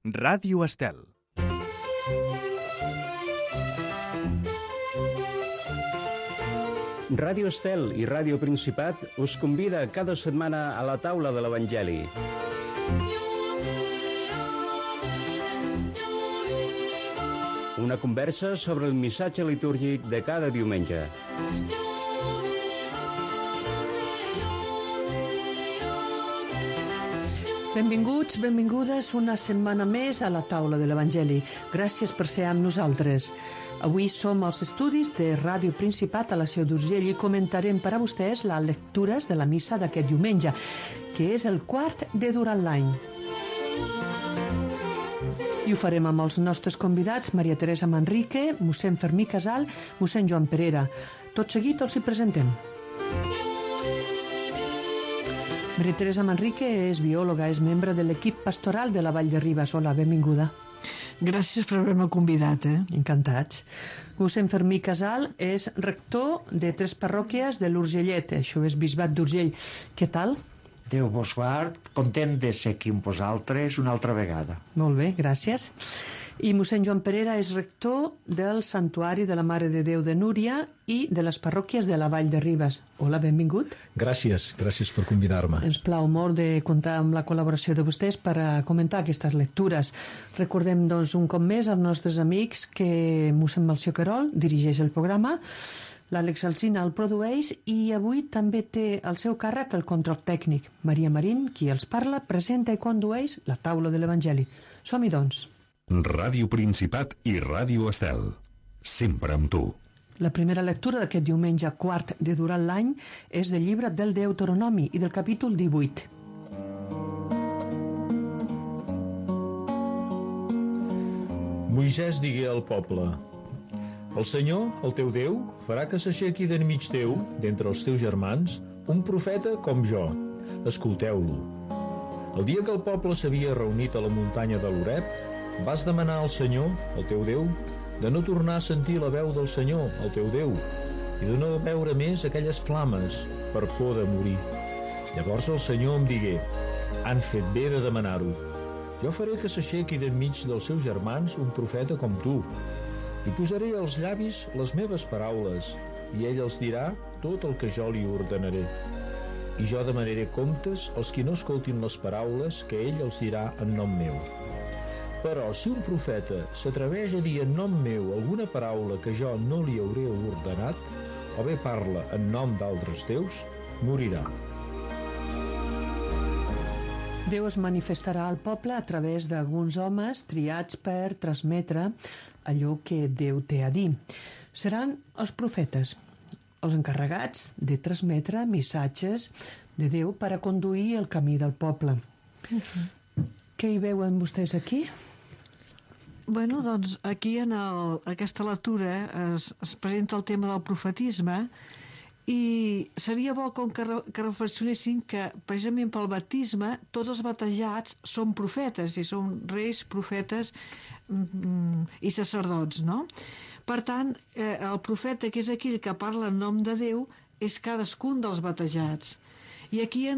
Ràdio Estel. Ràdio Estel i Ràdio Principat us convida cada setmana a la taula de l'Evangeli. Una conversa sobre el missatge litúrgic de cada diumenge. Benvinguts, benvingudes una setmana més a la taula de l'Evangeli. Gràcies per ser amb nosaltres. Avui som als estudis de Ràdio Principat a la Seu d'Urgell i comentarem per a vostès les lectures de la missa d'aquest diumenge, que és el quart de durant l'any. I ho farem amb els nostres convidats, Maria Teresa Manrique, mossèn Fermí Casal, mossèn Joan Perera. Tot seguit els hi presentem. Maria Teresa Manrique és biòloga, és membre de l'equip pastoral de la Vall de Ribes. Hola, benvinguda. Gràcies per haver-me convidat. Encantats. Mossèn Fermí Casal és rector de 3 parròquies de l'Urgellet, això és Bisbat d'Urgell. Què tal? Déu vos guard, content de ser aquí amb vosaltres una altra vegada. Molt bé, gràcies. I mossèn Joan Perera és rector del Santuari de la Mare de Déu de Núria i de les parròquies de la Vall de Ribes. Hola, benvingut. Gràcies per convidar-me. Ens plau molt de comptar amb la col·laboració de vostès per a comentar aquestes lectures. Recordem, doncs, un cop més als nostres amics que mossèn Melcior Querol dirigeix el programa, l'Àlex Alsina el produeix i avui també té al seu càrrec el control tècnic. Maria Marín, qui els parla, presenta i condueix la taula de l'Evangeli. Som-hi, doncs. Ràdio Principat i Ràdio Estel. Sempre amb tu. La primera lectura d'aquest diumenge quart de durant l'any és del llibre del Deuteronomi i del capítol 18. Moisès digué al poble: El Senyor, el teu Déu, farà que s'aixequi d'enmig teu, d'entre els teus germans, un profeta com jo. Escolteu-lo. El dia que el poble s'havia reunit a la muntanya de l'Horeb, vas demanar al Senyor, el teu Déu, de no tornar a sentir la veu del Senyor, el teu Déu, i de no veure més aquelles flames per por de morir. Llavors el Senyor em digué: han fet bé de demanar-ho. Jo faré que s'aixequi d'enmig dels seus germans un profeta com tu, i posaré als llavis les meves paraules, i ell els dirà tot el que jo li ordenaré. I jo demanaré comptes als qui no escoltin les paraules que ell els dirà en nom meu. Però si un profeta s'atreveix a dir en nom meu alguna paraula que jo no li hauré ordenat, o bé parla en nom d'altres déus, morirà. Déu es manifestarà al poble a través d'alguns homes triats per transmetre allò que Déu té a dir. Seran els profetes, els encarregats de transmetre missatges de Déu per a conduir el camí del poble. Què hi veuen vostès aquí? Bueno, doncs aquí en aquesta lectura es presenta el tema del profetisme i seria bo que reflexionessin que precisament pel baptisme tots els batejats són profetes i són reis, profetes i sacerdots, no? Per tant, el profeta, que és aquell que parla en nom de Déu, és cadascun dels batejats. I aquí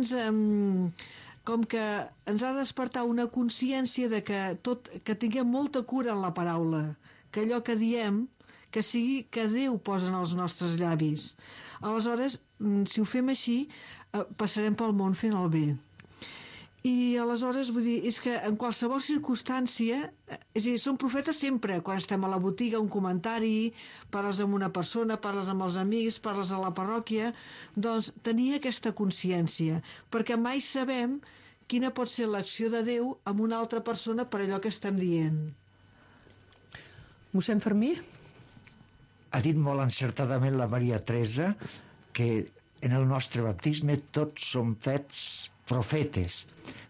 com que ens ha de despertar una consciència de que tinguem molta cura en la paraula, que allò que diem, que sigui que Déu posa en els nostres llavis. Aleshores, si ho fem així, passarem pel món fent el bé. I aleshores, vull dir, és que en qualsevol circumstància, és a dir, són profetes sempre, quan estem a la botiga, un comentari, parles amb una persona, parles amb els amics, parles a la parròquia, doncs tenir aquesta consciència, perquè mai sabem quina pot ser l'acció de Déu amb una altra persona per allò que estem dient. Mossèn Fermí? Ha dit molt encertadament la Maria Teresa que en el nostre baptisme tots som fets profetes.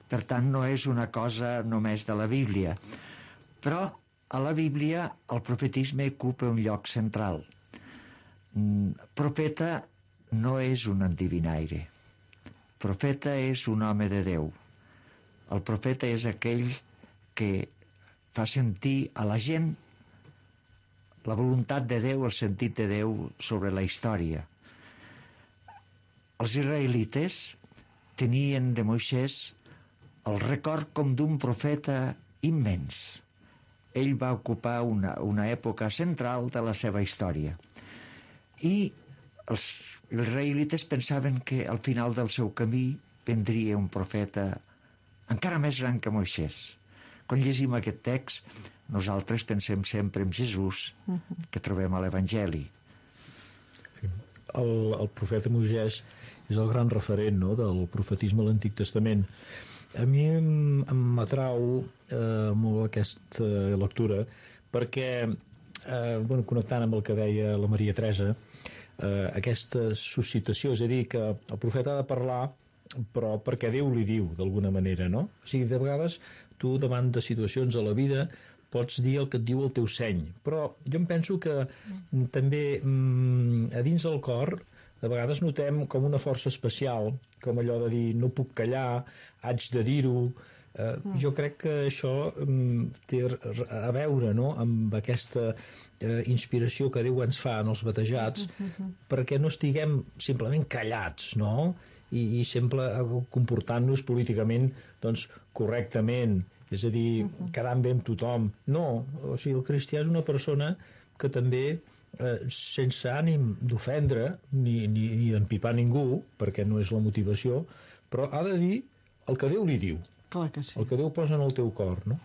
Per tant, no és una cosa només de la Bíblia. Però a la Bíblia el profetisme ocupa un lloc central. Profeta no és un endevinaire. Profeta és un home de Déu. El profeta és aquell que fa sentir a la gent la voluntat de Déu, el sentit de Déu sobre la història. Els israelites tenien de Moisès el record com d'un profeta immens. Ell va ocupar una època central de la seva història. I els israelites pensaven que al final del seu camí vendria un profeta encara més gran que Moisès. Quan llegim aquest text, nosaltres pensem sempre en Jesús, que trobem a l'Evangeli. El profeta Moisès és el gran referent, no?, del profetisme a l'Antic Testament. A mi m'atrau molt aquesta lectura perquè, connectant amb el que deia la Maria Teresa, aquesta suscitació, és a dir, que el profeta ha de parlar però perquè Déu li diu, d'alguna manera, no? O sigui, de vegades tu davant de situacions a la vida pots dir el que et diu el teu seny, però jo em penso que també a dins del cor de vegades notem com una força especial, com allò de dir no puc callar, haig de dir-ho. Jo crec que això té a veure, no?, amb aquesta inspiració que Déu ens fa en els batejats, perquè no estiguem simplement callats, no?, i sempre comportant-nos políticament doncs, correctament, és a dir, quedant bé amb tothom. No, o sigui, el cristià és una persona que també, sense ànim d'ofendre ni d'empipar ningú, perquè no és la motivació, però ha de dir el que Déu li diu. Clar que sí. El que Déu posa en el teu cor, no?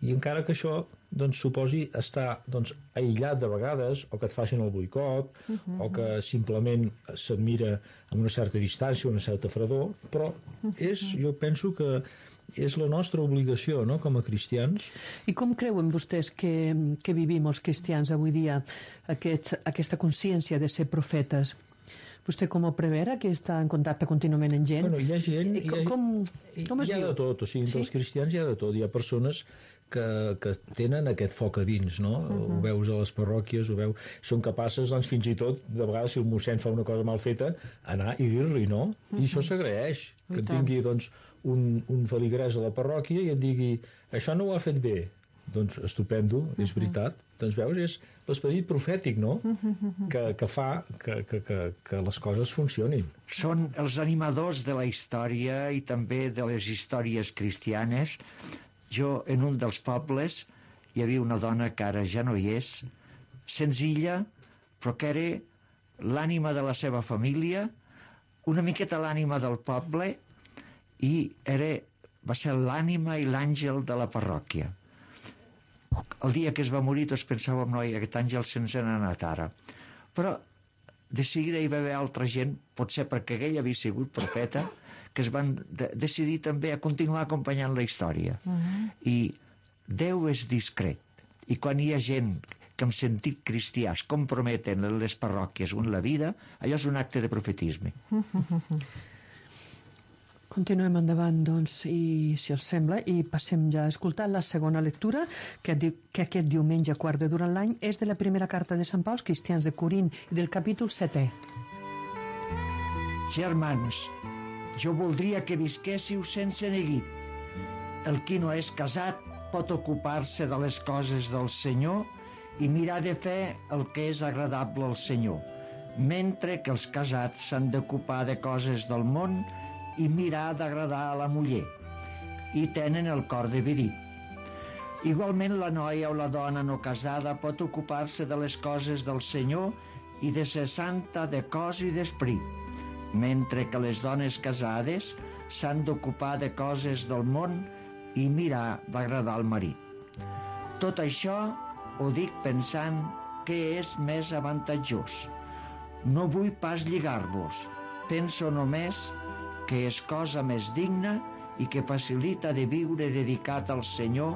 I encara que això doncs, suposi estar doncs, aïllat de vegades, o que et facin el boicot, o que simplement s'admira amb una certa distància, una certa fredor, però jo penso que és la nostra obligació, no?, com a cristians. I com creuen vostès que vivim els cristians avui dia aquesta consciència de ser profetes? Vostè com ho prevera, que està en contacte contínuament amb gent? Bueno, hi ha gent... Com es hi ha viu? de tot, o sigui, entre els cristians hi ha de tot. Hi ha persones que tenen aquest foc a dins, no? Ho veus a les parròquies, són capaces, doncs, fins i tot, de vegades, si el mossèn fa una cosa mal feta, anar i dir-li, no? I això s'agraeix, que et vingui, doncs, un feligrès a la parròquia i et digui, això no ho ha fet bé. Doncs estupendo, és veritat. Doncs veus, és l'esperit profètic, no?, que fa que les coses funcionin. Són els animadors de la història i també de les històries cristianes. Jo, en un dels pobles, hi havia una dona que ara ja no hi és, senzilla, però que era l'ànima de la seva família, una miqueta l'ànima del poble, i va ser l'ànima i l'àngel de la parròquia. El dia que es va morir tots pensàvem, noi, aquest àngel se'ns n'ha anat ara. Però de seguida hi va haver altra gent, potser perquè ell havia sigut profeta, que es van decidir també a continuar acompanyant la història. I Déu és discret. I quan hi ha gent que amb sentit cristià es comprometen en les parròquies o en la vida, allò és un acte de profetisme. Continuem endavant, doncs, i si els sembla, i passem ja a escoltar la segona lectura, que aquest diumenge quart de durant l'any és de la primera carta de Sant Pau als cristians de Corint i del capítol 7è. Germans, jo voldria que visquéssiu sense neguit. El qui no és casat pot ocupar-se de les coses del Senyor i mirar de fer el que és agradable al Senyor, mentre que els casats s'han d'ocupar de coses del món i mirar d'agradar a la muller, i tenen el cor dividit. Igualment la noia o la dona no casada pot ocupar-se de les coses del Senyor i de ser santa de cos i d'esperit, mentre que les dones casades s'han d'ocupar de coses del món i mirar d'agradar al marit. Tot això ho dic pensant que és més avantatjós. No vull pas lligar-vos, penso només que és cosa més digna i que facilita de viure dedicat al Senyor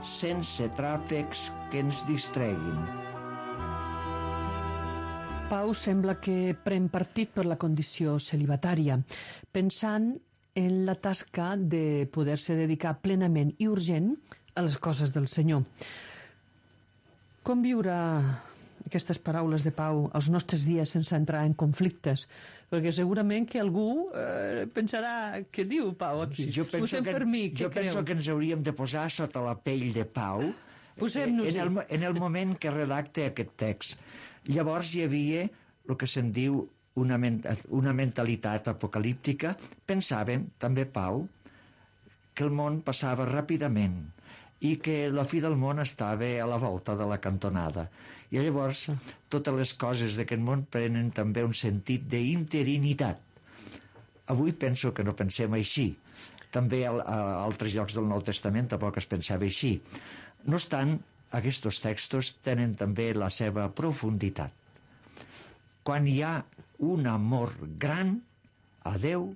sense tràfecs que ens distreguin. Pau sembla que pren partit per la condició celibatària, pensant en la tasca de poder-se dedicar plenament i urgent a les coses del Senyor. Com viure aquestes paraules de Pau als nostres dies sense entrar en conflictes? Perquè segurament que algú pensarà què diu Pau aquí. Jo penso que ens hauríem de posar sota la pell de Pau en el moment que redacta aquest text. Llavors hi havia el que se'n diu una mentalitat apocalíptica. Pensàvem, també Pau, que el món passava ràpidament i que la fi del món estava a la volta de la cantonada. I llavors totes les coses d'aquest món prenen també un sentit d'interinitat. Avui penso que no pensem així. També a altres llocs del Nou Testament tampoc es pensava així. No obstant, aquests textos tenen també la seva profunditat. Quan hi ha un amor gran a Déu,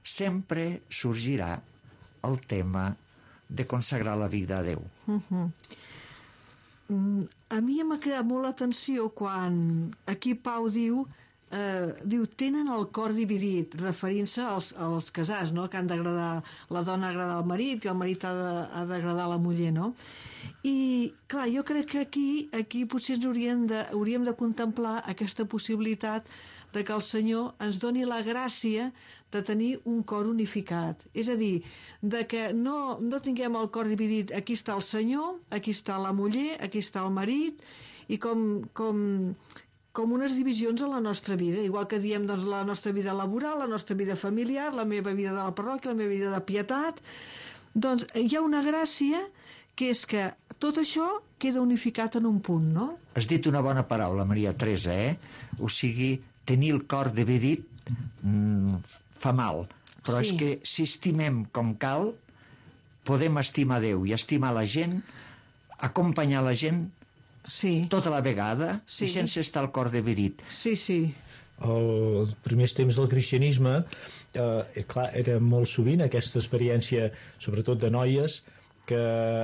sempre sorgirà el tema de consagrar la vida a Déu. A mi m'ha cridat molt l'atenció quan aquí Pau diu tenen el cor dividit, referint-se als casats, no? Que han d'agradar, la dona ha d'agradar al marit, que el marit ha d'agradar a la muller, no? I, clar, jo crec que aquí potser hauríem de contemplar aquesta possibilitat de que el Senyor ens doni la gràcia de tenir un cor unificat. És a dir, de que no tinguem el cor dividit, aquí està el Senyor, aquí està la muller, aquí està el marit, i com unes divisions a la nostra vida, igual que diem doncs, la nostra vida laboral, la nostra vida familiar, la meva vida de la parròquia, la meva vida de pietat. Doncs hi ha una gràcia que és que tot això queda unificat en un punt, no? Has dit una bona paraula, Maria Teresa, O sigui, tenir el cor dividit fa mal, però és que si estimem com cal, podem estimar Déu i estimar la gent, acompanyar la gent tota la vegada i sense estar el cor dividit. Sí. Els primers temps del cristianisme, clar, era molt sovint aquesta experiència, sobretot de noies, que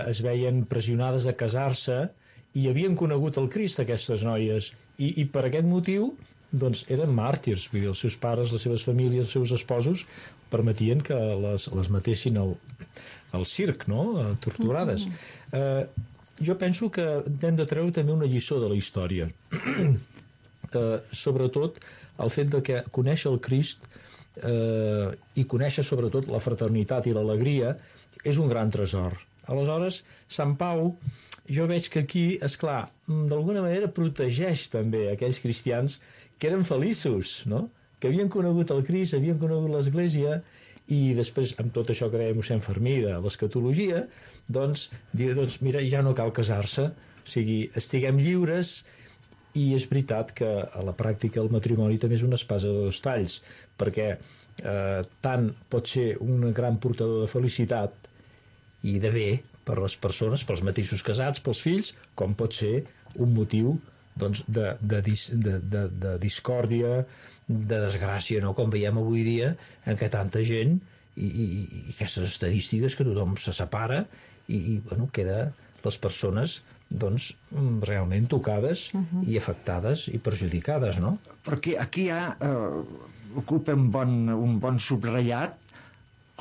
es veien pressionades a casar-se i havien conegut el Crist, aquestes noies, i per aquest motiu doncs eren màrtirs, vull dir, els seus pares, les seves famílies, els seus esposos permetien que les matessin al circ, no? Torturades. Jo penso que hem de treure també una lliçó de la història. Sobretot el fet de que conèixer el Crist i conèixer sobretot la fraternitat i l'alegria és un gran tresor. Aleshores, Sant Pau, jo veig que aquí, esclar, d'alguna manera protegeix també aquells cristians que eren feliços, no? Que havien conegut el Crist, havien conegut l'Església, i després, amb tot això que deia mossèn Fermí de l'escatologia, doncs, mira, ja no cal casar-se, o sigui, estiguem lliures, i és veritat que a la pràctica el matrimoni també és una espasa de dos talls, perquè tant pot ser un gran portador de felicitat i de bé per les persones, pels mateixos casats, pels fills, com pot ser un motiu doncs, de discòrdia, de desgràcia, no? Com veiem avui dia, en què tanta gent i aquestes estadístiques que tothom se separa i bueno, queda les persones doncs, realment tocades i afectades i perjudicades, no? Perquè aquí ocupa un bon subratllat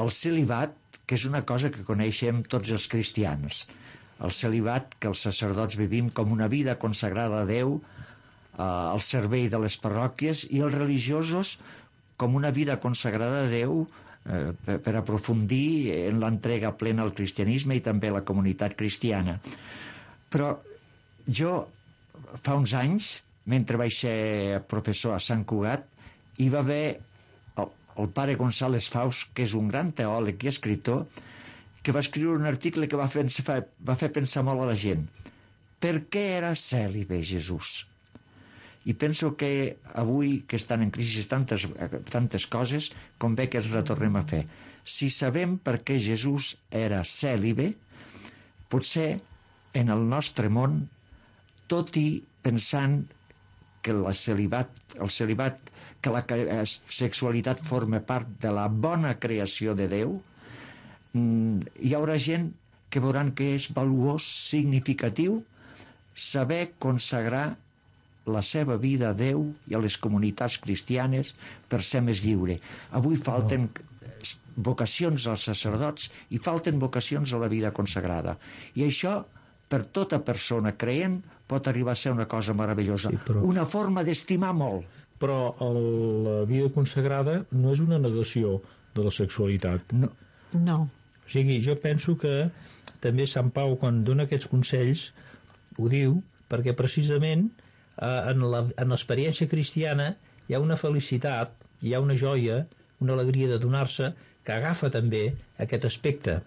el celibat, que és una cosa que coneixem tots els cristians. El celibat que els sacerdots vivim com una vida consagrada a Déu, al servei de les parròquies, i els religiosos com una vida consagrada a Déu per aprofundir en l'entrega plena al cristianisme i també a la comunitat cristiana. Però jo, fa uns anys, mentre vaig ser professor a Sant Cugat, hi va haver el pare González Faust, que és un gran teòleg i escritor, que va escriure un article que va fer pensar molt a la gent. Per què era cèlibe Jesús? I penso que avui, que estan en crisi tantes coses, convé que els retornem a fer. Si sabem per què Jesús era cèlibe, potser en el nostre món, tot i pensant que el celibat, que la sexualitat forma part de la bona creació de Déu, hi haurà gent que veuran que és valuós, significatiu, saber consagrar la seva vida a Déu i a les comunitats cristianes per ser més lliure. Avui falten vocacions als sacerdots i falten vocacions a la vida consagrada. I això, per tota persona creient, pot arribar a ser una cosa meravellosa. Sí, una forma d'estimar molt. Però la vida consagrada no és una negació de la sexualitat. No. O sigui, jo penso que també Sant Pau, quan dona aquests consells, ho diu perquè precisament en l'experiència cristiana hi ha una felicitat, hi ha una joia, una alegria de donar-se, que agafa també aquest aspecte.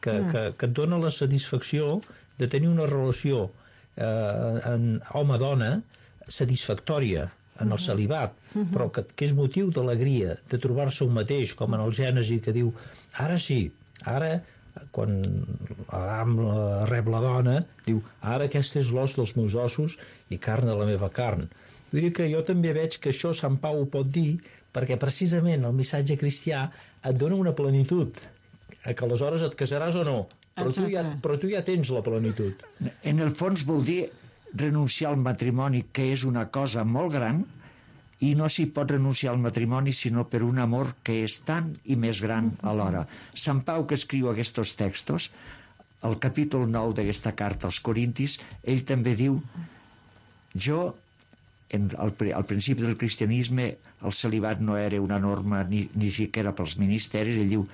que et dona la satisfacció de tenir una relació en home-dona satisfactòria en el celibat, però que és motiu d'alegria, de trobar-se un mateix, com en el Gènesi, que diu, ara sí, ara, quan Adam rep la dona, diu, ara aquest és l'os dels meus ossos i carn de la meva carn. Vull dir que jo també veig que això Sant Pau ho pot dir, perquè precisament el missatge cristià et dona una plenitud, que aleshores et casaràs o no, però tu ja tens la plenitud. En el fons vol dir renunciar al matrimoni, que és una cosa molt gran, i no s'hi pot renunciar al matrimoni sinó per un amor que és tant i més gran alhora. Sant Pau, que escriu aquests textos, al capítol 9 d'aquesta carta als Corintis, ell també diu, al principi del cristianisme el celibat no era una norma ni siquiera pels ministeris, ell diu,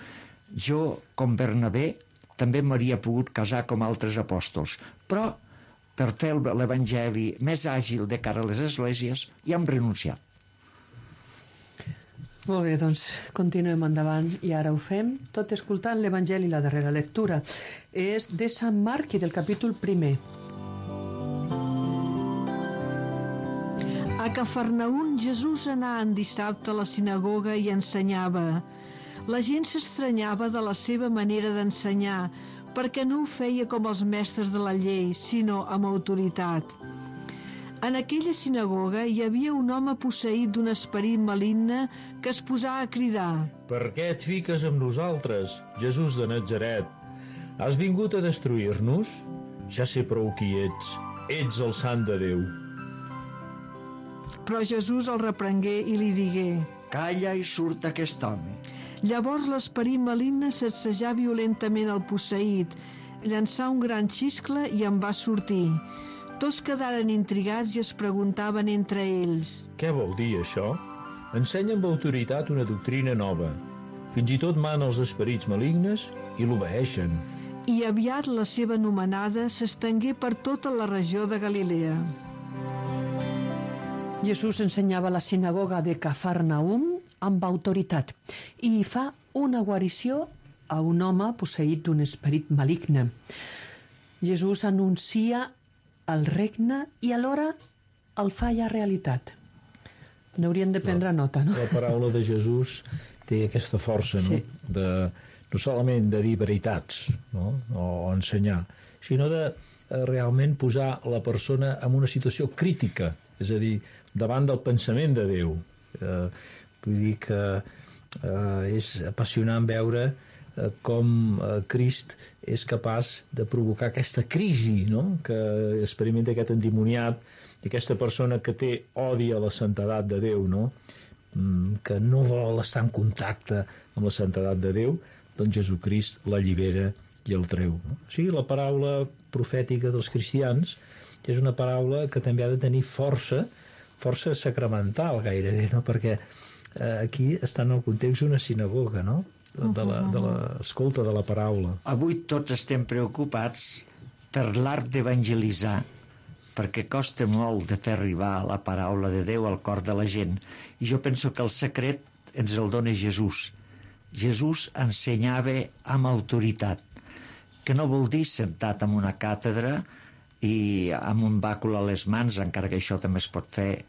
jo, com Bernabé, també m'hauria pogut casar com altres apòstols, però per fer l'evangeli més àgil de cara a les esglésies ja hem renunciat. Molt bé, doncs continuem endavant i ara ho fem tot escoltant l'Evangeli. La darrera lectura és de Sant Marc i del capítol 1. A Cafarnaüm Jesús anà en dissabte a la sinagoga i ensenyava. La gent s'estranyava de la seva manera d'ensenyar, perquè no ho feia com els mestres de la llei, sinó amb autoritat. En aquella sinagoga hi havia un home posseït d'un esperit maligne que es posà a cridar. Per què et fiques amb nosaltres, Jesús de Natzaret? Has vingut a destruir-nos? Ja sé prou qui ets. Ets el sant de Déu. Però Jesús el reprengué i li digué: Calla i surt aquest home. Llavors l'esperit maligne sacsejà violentament el posseït, llançà un gran xiscle i en va sortir. Tots quedaren intrigats i es preguntaven entre ells: Què vol dir això? Ensenya amb autoritat una doctrina nova. Fins i tot mana els esperits malignes i l'obeeixen. I aviat la seva anomenada s'estengué per tota la regió de Galilea. Jesús ensenyava a la sinagoga de Cafarnaüm amb autoritat i fa una guarició a un home posseït d'un esperit maligne. Jesús anuncia el regne i alhora el fa ja realitat. N'hauríem de prendre nota, no? La paraula de Jesús té aquesta força, no? Sí. No solament de dir veritats, no? O ensenyar, sinó de realment posar la persona en una situació crítica, és a dir, davant del pensament de Déu. Vull dir que és apassionant veure com Crist és capaç de provocar aquesta crisi, no? Que experimenta aquest endimoniat i aquesta persona que té odi a la santedat de Déu, no? Que no vol estar en contacte amb la santedat de Déu, doncs Jesucrist l'allibera i el treu. No? O sigui, la paraula profètica dels cristians és una paraula que també ha de tenir força sacramental gairebé, no? Perquè aquí està en el context d'una sinagoga, no? De l'escolta de la paraula. Avui tots estem preocupats per l'art d'evangelitzar, perquè costa molt de fer arribar la paraula de Déu al cor de la gent. I jo penso que el secret ens el dona Jesús. Jesús ensenyava amb autoritat, que no vol dir sentat en una càtedra i amb un bàcul a les mans, encara que això també es pot fer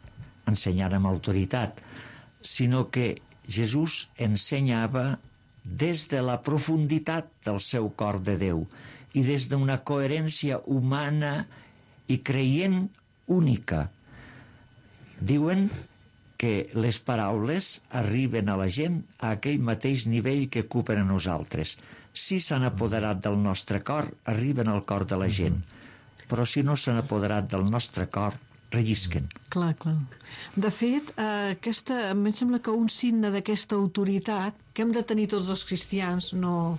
ensenyant amb autoritat, sinó que Jesús ensenyava des de la profunditat del seu cor de Déu i des d'una coherència humana i creient única. Diuen que les paraules arriben a la gent a aquell mateix nivell que ocupen a nosaltres. Si s'han apoderat del nostre cor, arriben al cor de la gent. Però si no s'han apoderat del nostre cor, rellisquen. Clar. De fet, em sembla que un signe d'aquesta autoritat que hem de tenir tots els cristians, no,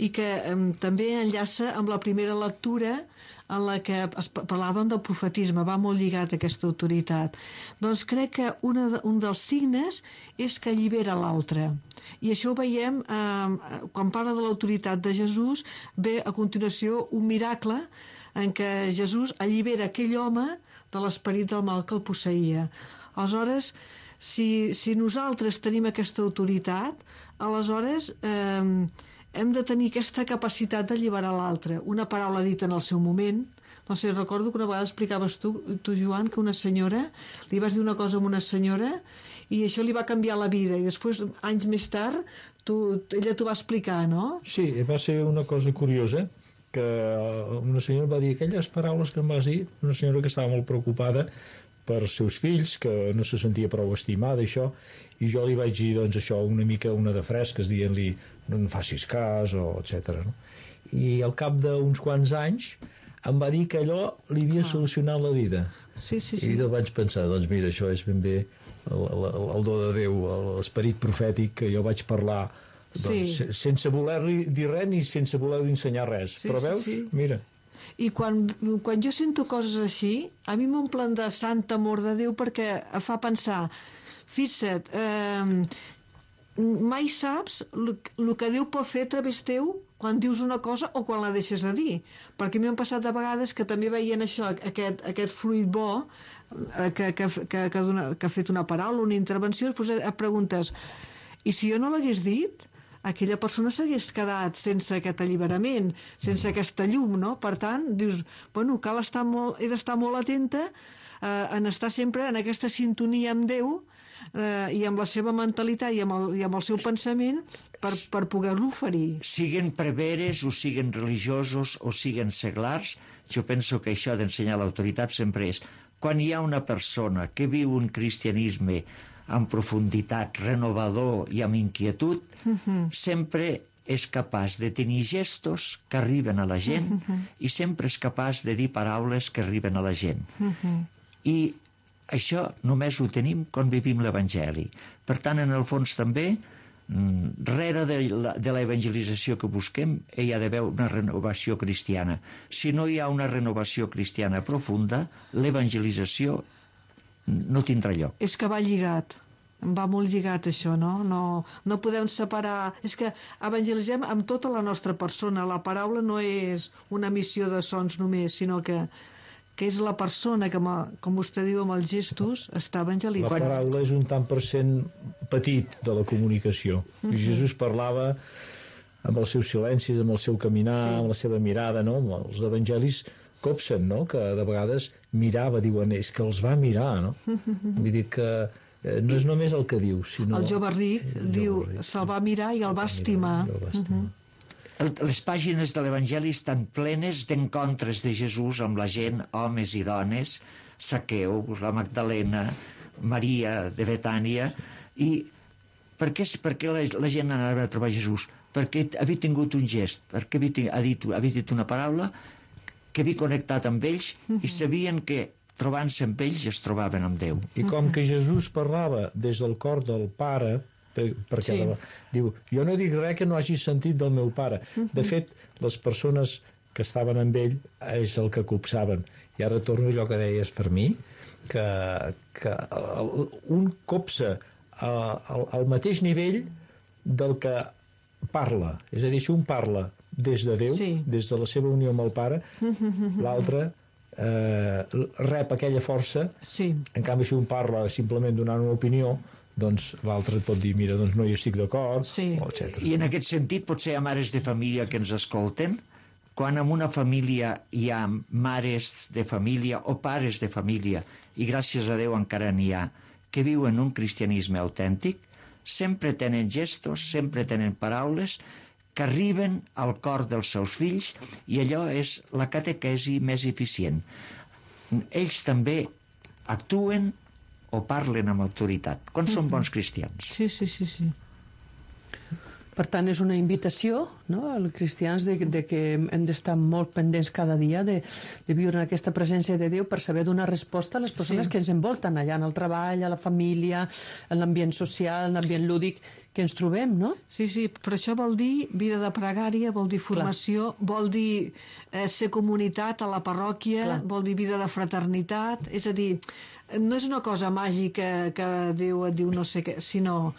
i que també enllaça amb la primera lectura en la que parlàvem del profetisme, va molt lligat a aquesta autoritat. Doncs crec que un dels signes és que allibera l'altre. I això ho veiem, quan parla de l'autoritat de Jesús, ve a continuació un miracle en què Jesús allibera aquell home de l'esperit del mal que el posseïa. Aleshores, si nosaltres tenim aquesta autoritat, aleshores hem de tenir aquesta capacitat d'alliberar l'altre. Una paraula dita en el seu moment. No sé, recordo que una vegada explicaves tu, Joan, que una senyora, li vas dir una cosa a una senyora i això li va canviar la vida, i després, anys més tard, ella t'ho va explicar, no? Sí, va ser una cosa curiosa, que una senyora va dir aquelles paraules que em vas dir, una senyora que estava molt preocupada per seus fills, que no se sentia prou estimada, això, i jo li vaig dir, doncs, això, una mica una de fresques, dient-li, no en facis cas, o etc. No? I al cap d'uns quants anys em va dir que allò li havia solucionat la vida. Sí. I jo vaig pensar, doncs mira, això és ben bé el do de Déu, l'esperit profètic, que jo vaig parlar doncs, sense voler-li dir res ni sense voler-li ensenyar res. Però veus? Sí. Mira. I quan jo sento coses així, a mi m'omplen de sant amor de Déu, perquè em fa pensar, fixa't, mai saps el que Déu pot fer a través teu quan dius una cosa o quan la deixes de dir. Perquè a mi m'han passat de vegades que també veient això, aquest fruit bo que ha fet una paraula, una intervenció, després et preguntes, i si jo no l'hagués dit, aquella persona s'hagués quedat sense aquest alliberament, sense aquesta llum, no? Per tant, dius, bueno, he d'estar molt atenta en estar sempre en aquesta sintonia amb Déu i amb la seva mentalitat i amb el seu pensament per poder-lo oferir. Siguen preveres o siguen religiosos o siguen seglars, jo penso que això d'ensenyar l'autoritat sempre és quan hi ha una persona que viu un cristianisme amb profunditat, renovador i amb inquietud, sempre és capaç de tenir gestos que arriben a la gent i sempre és capaç de dir paraules que arriben a la gent. I això només ho tenim quan vivim l'Evangeli. Per tant, en el fons també, rere de l'evangelització que busquem, hi ha d'haver una renovació cristiana. Si no hi ha una renovació cristiana profunda, l'evangelització no tindrà lloc. És que va lligat, va molt lligat això, no? No podem separar... És que evangelitzem amb tota la nostra persona. La paraula no és una emissió de sons només, sinó que és la persona que, com vostè diu, amb els gestos, està evangelitzant. La paraula és un tant per cent petit de la comunicació. Jesús parlava amb els seus silencis, amb el seu caminar, amb la seva mirada, no? Els evangelis copsen, no? Que de vegades mirava, diuen, és que els va mirar, no? Vull dir que no és només el que diu, sinó... El jove ric diu, se'l va mirar i el va estimar. Les pàgines de l'Evangeli estan plenes d'encontres de Jesús amb la gent, homes i dones, Zaqueu, la Magdalena, Maria de Betània, i per què la gent anava a trobar Jesús? Perquè havia tingut un gest, perquè havia dit una paraula que havia connectat amb ells i sabien que trobant-se amb ells es trobaven amb Déu. I com que Jesús parlava des del cor del Pare, perquè diu, jo no dic res que no hagi sentit del meu pare. De fet, les persones que estaven amb ell és el que copsaven. I ara torno a allò que deies per mi, que un copsa al mateix nivell del que parla. És a dir, si un parla des de Déu, des de la seva unió amb el Pare, l'altre rep aquella força. En canvi, si un parla simplement donant una opinió, doncs l'altre et pot dir, mira, doncs no hi estic d'acord, etc. I en aquest sentit potser hi ha mares de família que ens escolten. Quan en una família hi ha mares de família o pares de família, i gràcies a Déu encara n'hi ha, que viuen un cristianisme autèntic, sempre tenen gestos, sempre tenen paraules que arriben al cor dels seus fills, i allò és la catequesi més eficient. Ells també actuen o parlen amb autoritat, quan són bons cristians. Sí. Per tant, és una invitació, no?, als cristians de que hem d'estar molt pendents cada dia de viure en aquesta presència de Déu per saber donar resposta a les persones que ens envolten allà en el treball, a la família, en l'ambient social, en l'ambient lúdic que ens trobem, no? Sí, però això vol dir vida de pregària, vol dir formació, vol dir ser comunitat a la parròquia, vol dir vida de fraternitat, és a dir, no és una cosa màgica que Déu et diu no sé què, sinó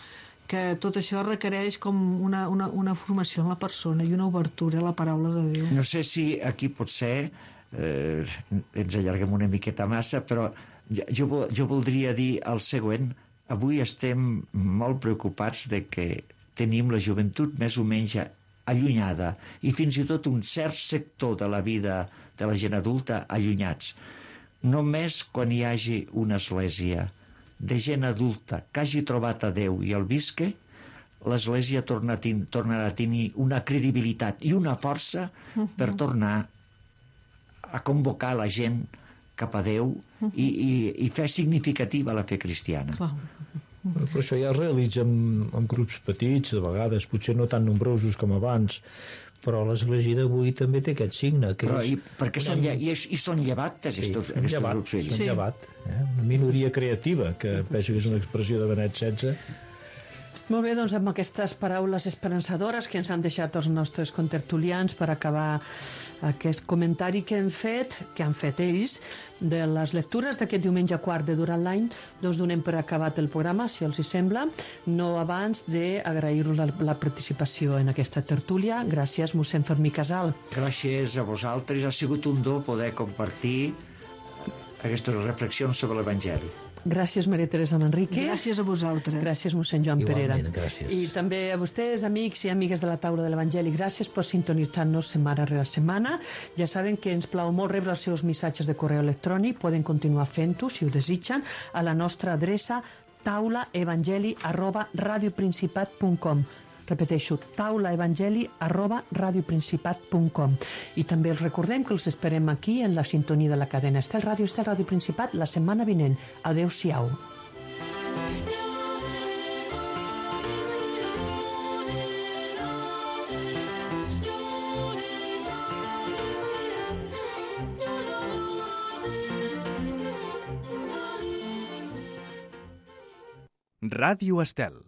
que tot això requereix com una formació en la persona i una obertura a la paraula de Déu. No sé si aquí potser ens allarguem una miqueta massa, però jo voldria dir el següent. Avui estem molt preocupats de que tenim la joventut més o menys allunyada, i fins i tot un cert sector de la vida de la gent adulta allunyats. Només quan hi hagi una església de gent adulta que hagi trobat a Déu i el visque, l'Església tornarà a tenir una credibilitat i una força per tornar a convocar la gent cap a Déu i fer significativa la fe cristiana. Però això ja es realitza en grups petits, de vegades, potser no tan nombrosos com abans, però l'Església d'avui també té aquest signe. Que però perquè són llevat aquests grups vells. Són llevat. Una minoria creativa, que penso que és una expressió de Benet XVI. Molt bé, doncs amb aquestes paraules esperançadores que ens han deixat els nostres contertulians per acabar aquest comentari que han fet ells, de les lectures d'aquest diumenge quart de durant l'any, doncs donem per acabat el programa, si els hi sembla, no abans d'agrair-vos la participació en aquesta tertúlia. Gràcies, mossèn Fermí Casal. Gràcies a vosaltres, ha sigut un do poder compartir aquestes reflexions sobre l'Evangeli. Gràcies, Maria Teresa Manrique. Gràcies a vosaltres. Gràcies, mossèn Joan Perera. Gràcies. I també a vostès, amics i amigues de la taula de l'Evangeli, gràcies per sintonitzar-nos setmana rere setmana. Ja saben que ens plau molt rebre els seus missatges de correu electrònic. Poden continuar fent-ho, si ho desitgen, a la nostra adreça taulaevangeli@radioprincipat.com. Repeteixo, taulaevangeli@radioprincipat.com. I també els recordem que els esperem aquí en la sintonia de la cadena Estel Ràdio Principat la setmana vinent. Adéu-siau. Ràdio Estel.